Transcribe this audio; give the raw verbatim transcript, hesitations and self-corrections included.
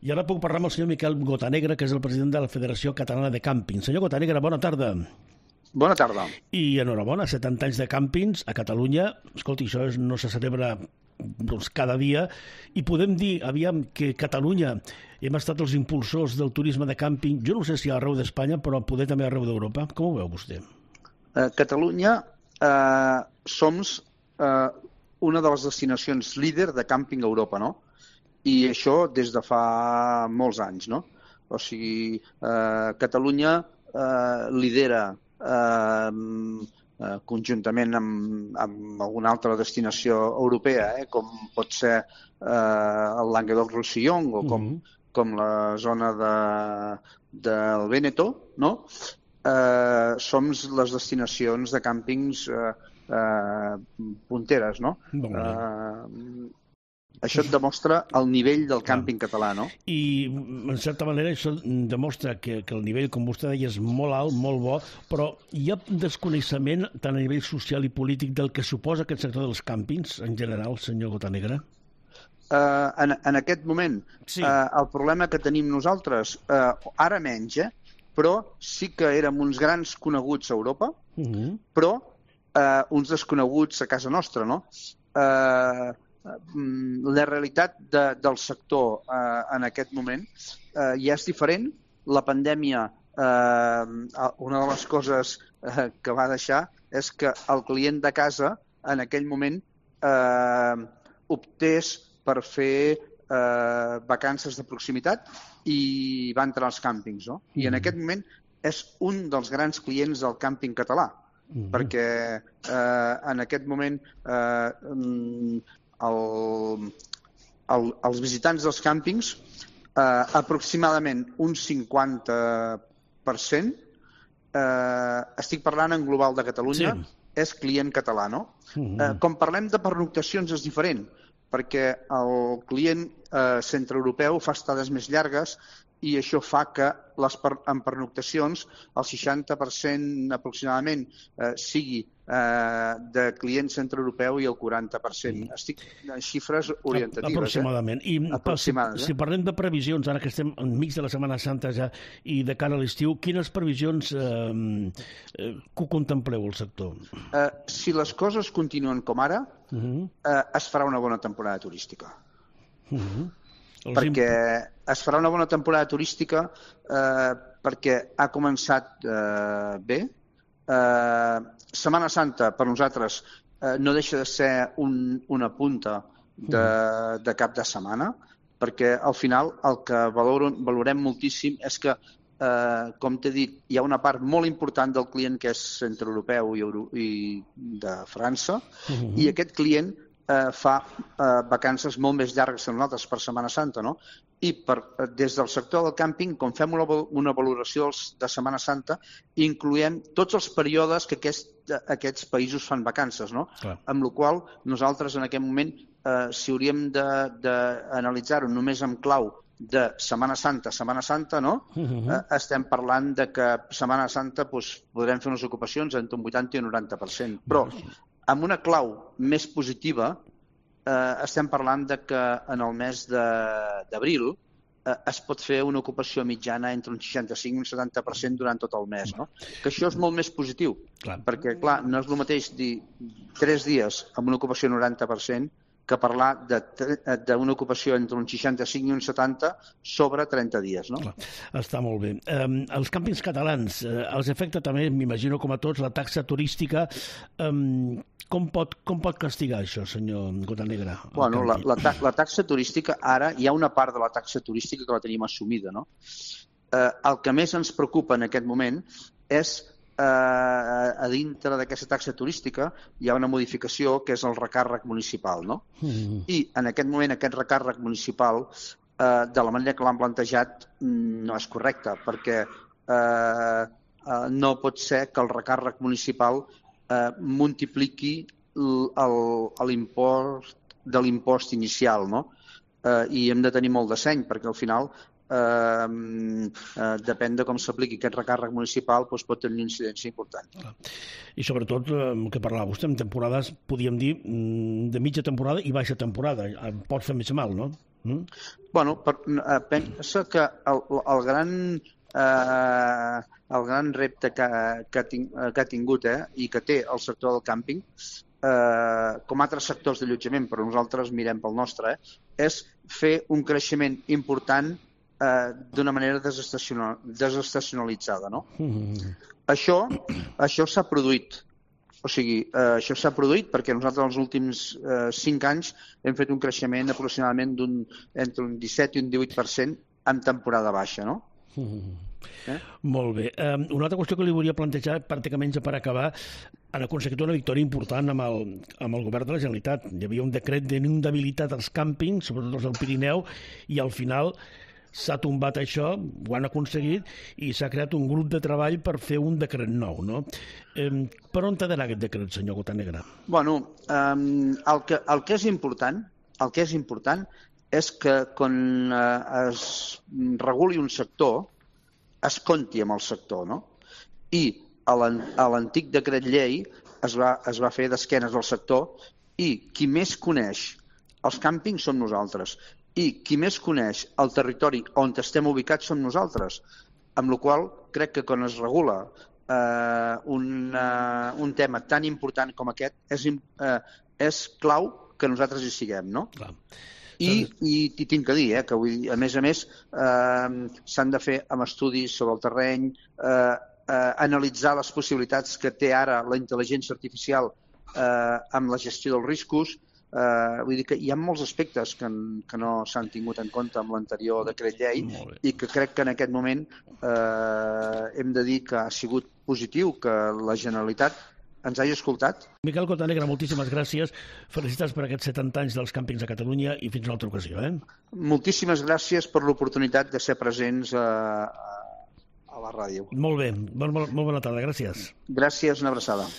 I ara puc parlar amb el senyor Miquel Gotanegra, que és el president de la Federació Catalana de Càmping. Senyor Gotanegra, bona tarda. Bona tarda. I enhorabona, setanta anys de càmpings a Catalunya. Escolti, això és, no se celebra doncs, cada dia. I podem dir, aviam, que Catalunya hem estat els impulsors del turisme de càmping, jo no sé si arreu d'Espanya, però poder també arreu d'Europa. Com ho veu vostè? A Catalunya eh, som eh, una de les destinacions líder de càmping a Europa, no? I això des de fa molts anys, no? O sigui, eh, Catalunya eh, lidera eh, eh, conjuntament amb, amb alguna altra destinació europea, eh, com pot ser eh, el Languedoc-Roussillon o com, mm -hmm. com la zona de, del Véneto, no? Eh, som les destinacions de càmpings eh, eh, punteres, no? Eh, Això et demostra el nivell del càmping català, no? I, en certa manera, això demostra que, que el nivell, com vostè deia, és molt alt, molt bo, però hi ha desconeixement tant a nivell social i polític del que suposa aquest sector dels càmpings, en general, senyor Gotanegra? Uh, en, en aquest moment, sí. uh, el problema que tenim nosaltres, uh, ara menys, eh? Però sí que érem uns grans coneguts a Europa, uh-huh. però uh, uns desconeguts a casa nostra, no? Uh, la realitat de, del sector eh, en aquest moment eh, ja és diferent. La pandèmia, eh, una de les coses eh, que va deixar és que el client de casa en aquell moment eh, optés per fer eh, vacances de proximitat i va entrar als càmpings, no? I en aquest moment és un dels grans clients del càmping català, mm-hmm. perquè eh, en aquest moment eh, El, el, els visitants dels càmpings, eh, aproximadament un cinquanta per cent, eh, estic parlant en global de Catalunya, sí. és client català, no? Uh-huh. Eh, com parlem de pernoctacions és diferent, perquè el client eh, centreeuropeu fa estades més llargues i això fa que les per, en pernoctacions el seixanta per cent aproximadament eh, sigui eh, de client centreeuropeu i el quaranta per cent. Mm. Estic en xifres orientatives. Aproximadament. Eh? I Aproximades, si, eh? si parlem de previsions, ara que estem enmig de la Setmana Santa ja i de cara a l'estiu, quines previsions eh, eh, que contempleu el sector? Eh, si les coses continuen com ara, uh-huh. eh, es farà una bona temporada turística. Uh-huh. Perquè es farà una bona temporada turística eh, perquè ha començat eh, bé. Eh, Setmana Santa, per nosaltres, eh, no deixa de ser un, una punta de, de cap de setmana, perquè al final el que valorem, valorem moltíssim és que, eh, com t'he dit, hi ha una part molt important del client que és centreeuropeu i, Euro, i de França, uh-huh. i aquest client Eh, fa eh, vacances molt més llargues que nosaltres per Setmana Santa, no? I per, eh, des del sector del càmping, com fem una, una valoració de Setmana Santa, incloem tots els períodes que aquest, aquests països fan vacances, no? Clar. Amb la qual nosaltres en aquest moment, eh, si hauríem d'analitzar-ho només amb clau de Setmana Santa, Setmana Santa, no? Uh-huh. eh, estem parlant de que Setmana Santa doncs, podrem fer unes ocupacions entre un vuitanta i un noranta per cent. Però amb una clau més positiva, eh, estem parlant de que en el mes d'abril eh, es pot fer una ocupació mitjana entre un seixanta-cinc i un setanta per cent durant tot el mes, no? Que això és molt més positiu, clar. Perquè, clar, no és el mateix dir tres dies amb una ocupació noranta per cent que parlar d'una ocupació entre un seixanta-cinc i un setanta sobre trenta dies, no? Clar, està molt bé. Eh, els càmpings catalans, eh, els afecta també, m'imagino com a tots, la taxa turística. Eh, com, pot, com pot castigar això, senyor Gotanegra? Bueno, la, la, la taxa turística, ara hi ha una part de la taxa turística que la tenim assumida, no? Eh, el que més ens preocupa en aquest moment és Uh, a dintre d'aquesta taxa turística hi ha una modificació que és el recàrrec municipal, no? Mm-hmm. I en aquest moment aquest recàrrec municipal uh, de la manera que l'han plantejat no és correcte, perquè uh, uh, no pot ser que el recàrrec municipal uh, multipliqui l'impost de l'impost inicial, no? Uh, i hem de tenir molt de seny, perquè al final Uh, uh, depèn de com s'apliqui aquest recàrrec municipal, doncs pot tenir una incidència important. I sobretot, el que parlava vostè, en temporades, podríem dir, de mitja temporada i baixa temporada. Pot fer més mal, no? Mm? Bueno, per, uh, pensa que el, el gran eh, el gran repte que, que, ting, que ha tingut eh, i que té el sector del càmping, eh, com altres sectors d'allotjament, però nosaltres mirem pel nostre, eh, és fer un creixement important eh, d'una manera desestacional, desestacionalitzada. No? Mm-hmm. Això, això s'ha produït. O sigui, eh, això s'ha produït perquè nosaltres els últims eh, cinc anys hem fet un creixement aproximadament d'un, entre un disset i un divuit per cent en temporada baixa, no? Mm. Eh? Molt bé. Um, una altra qüestió que li volia plantejar, pràcticament ja per acabar, han aconseguit una victòria important amb el, amb el govern de la Generalitat. Hi havia un decret d'inundabilitat als càmpings, sobretot els del Pirineu, i al final s'ha tombat això, ho han aconseguit, i s'ha creat un grup de treball per fer un decret nou, no? Eh, per on t'ha d'anar aquest decret, senyor Bocanegra? Bueno, um, el, que, el que és important, el que és important és que quan uh, es reguli un sector, es compti amb el sector, no? I a l'antic decret llei es va, es va fer d'esquenes al sector i qui més coneix els càmpings som nosaltres. I qui més coneix el territori on estem ubicats som nosaltres, amb la qual crec que quan es regula eh, un, uh, un tema tan important com aquest és, eh, és clau que nosaltres hi siguem, no? Clar. I, i, i tinc que dir, eh, que vull dir, a més a més eh, s'han de fer amb estudis sobre el terreny, eh, eh, analitzar les possibilitats que té ara la intel·ligència artificial eh, amb la gestió dels riscos. Uh, vull dir que hi ha molts aspectes que, que no s'han tingut en compte amb l'anterior decret llei i que crec que en aquest moment uh, hem de dir que ha sigut positiu que la Generalitat ens hagi escoltat. Miquel Bocanegra, moltíssimes gràcies. Felicitats per aquests setanta anys dels càmpings a Catalunya i fins una altra ocasió. Eh? Moltíssimes gràcies per l'oportunitat de ser presents a, a la ràdio. Molt bé, molt, molt, molt bona tarda, gràcies. Gràcies, una abraçada.